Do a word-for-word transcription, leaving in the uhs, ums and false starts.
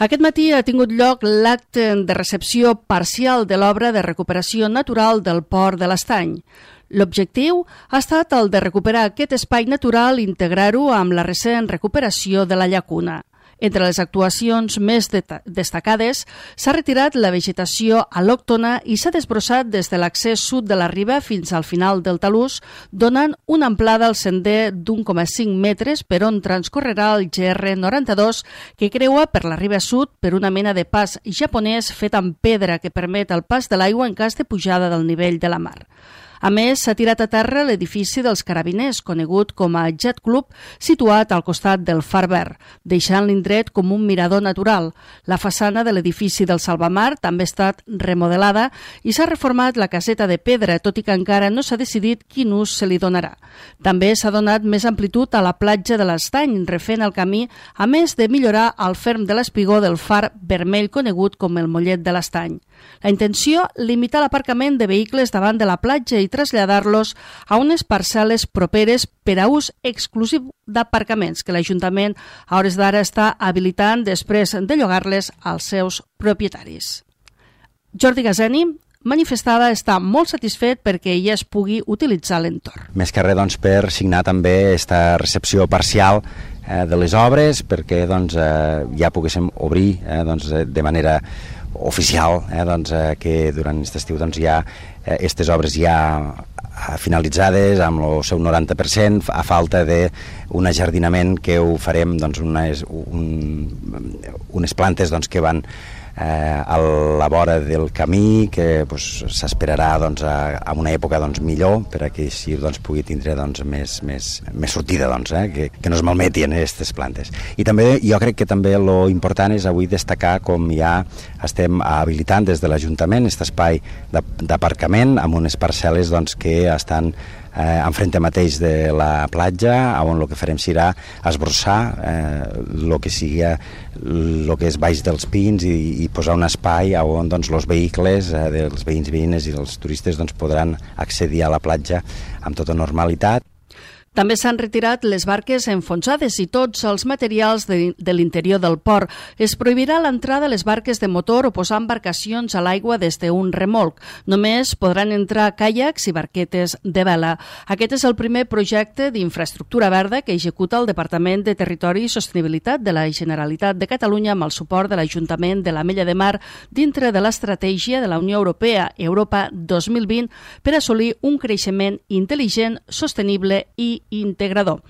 Aquest matí ha tingut lloc l'acte de recepció parcial de l'obra de recuperació natural del Port de l'Estany. L'objectiu ha estat el de recuperar aquest espai natural i integrar-ho amb la recent recuperació de la llacuna. Entre les actuacions més destacades s'ha retirat la vegetació al·lòctona i s'ha desbrossat des de l'accés sud de la riba fins al final del talús, donant una amplada al sender d'un coma cinc metres per on transcorrerà el G R noranta-dos, que creua per la riba sud per una mena de pas japonès fet amb pedra que permet el pas de l'aigua en cas de pujada del nivell de la mar. A més, s'ha tirat a terra l'edifici dels Carabiners, conegut com a Jet Club, situat al costat del Far Verd, deixant l'indret com un mirador natural. La façana de l'edifici del Salvamar també ha estat remodelada i s'ha reformat la caseta de pedra, tot i que encara no s'ha decidit quin ús se li donarà. També s'ha donat més amplitud a la platja de l'Estany, refent el camí, a més de millorar el ferm de l'espigó del far vermell conegut com el Mollet de l'Estany. La intenció, limitar l'aparcament de vehicles davant de la platja i traslladar-los a unes parcel·les properes per a ús exclusiu d'aparcaments que l'Ajuntament a hores d'ara està habilitant després de llogar-les als seus propietaris. Jordi Gazeni manifestava estar molt satisfet perquè ja es pugui utilitzar l'entorn. Més que res doncs, per signar també aquesta recepció parcial eh, de les obres perquè doncs, eh, ja poguéssim obrir eh, doncs, de manera oficial, eh, doncs, eh, que durant aquest estiu doncs, hi ha aquestes eh, obres ja finalitzades amb el seu noranta per cent, a falta d'un ajardinament que ho farem doncs, unes, un, unes plantes doncs, que van eh, a la vora del camí, que doncs, s'esperarà doncs, a, a una època doncs, millor per a que així doncs, pugui tindre doncs, més, més, més sortida, doncs, eh, que, que no es malmetin aquestes plantes. I també jo crec que també lo important és avui destacar com ja estem habilitant des de l'Ajuntament aquest espai d'aparcament amb unes parcel·les doncs, que estan eh, enfrente mateix de la platja, on el que farem serà esbrossar el eh, que sigui el que és baix dels pins i, i posar un espai on doncs, els vehicles eh, dels veïns i veïnes i els turistes doncs, podran accedir a la platja amb tota normalitat. També s'han retirat les barques enfonsades i tots els materials de, de l'interior del port. Es prohibirà l'entrada a les barques de motor o posar embarcacions a l'aigua des d'un remolc. Només podran entrar caiacs i barquetes de vela. Aquest és el primer projecte d'infraestructura verda que executa el Departament de Territori i Sostenibilitat de la Generalitat de Catalunya amb el suport de l'Ajuntament de l'Ametlla de Mar dintre de l'estratègia de la Unió Europea Europa dos mil vint per assolir un creixement intel·ligent, sostenible i integrador.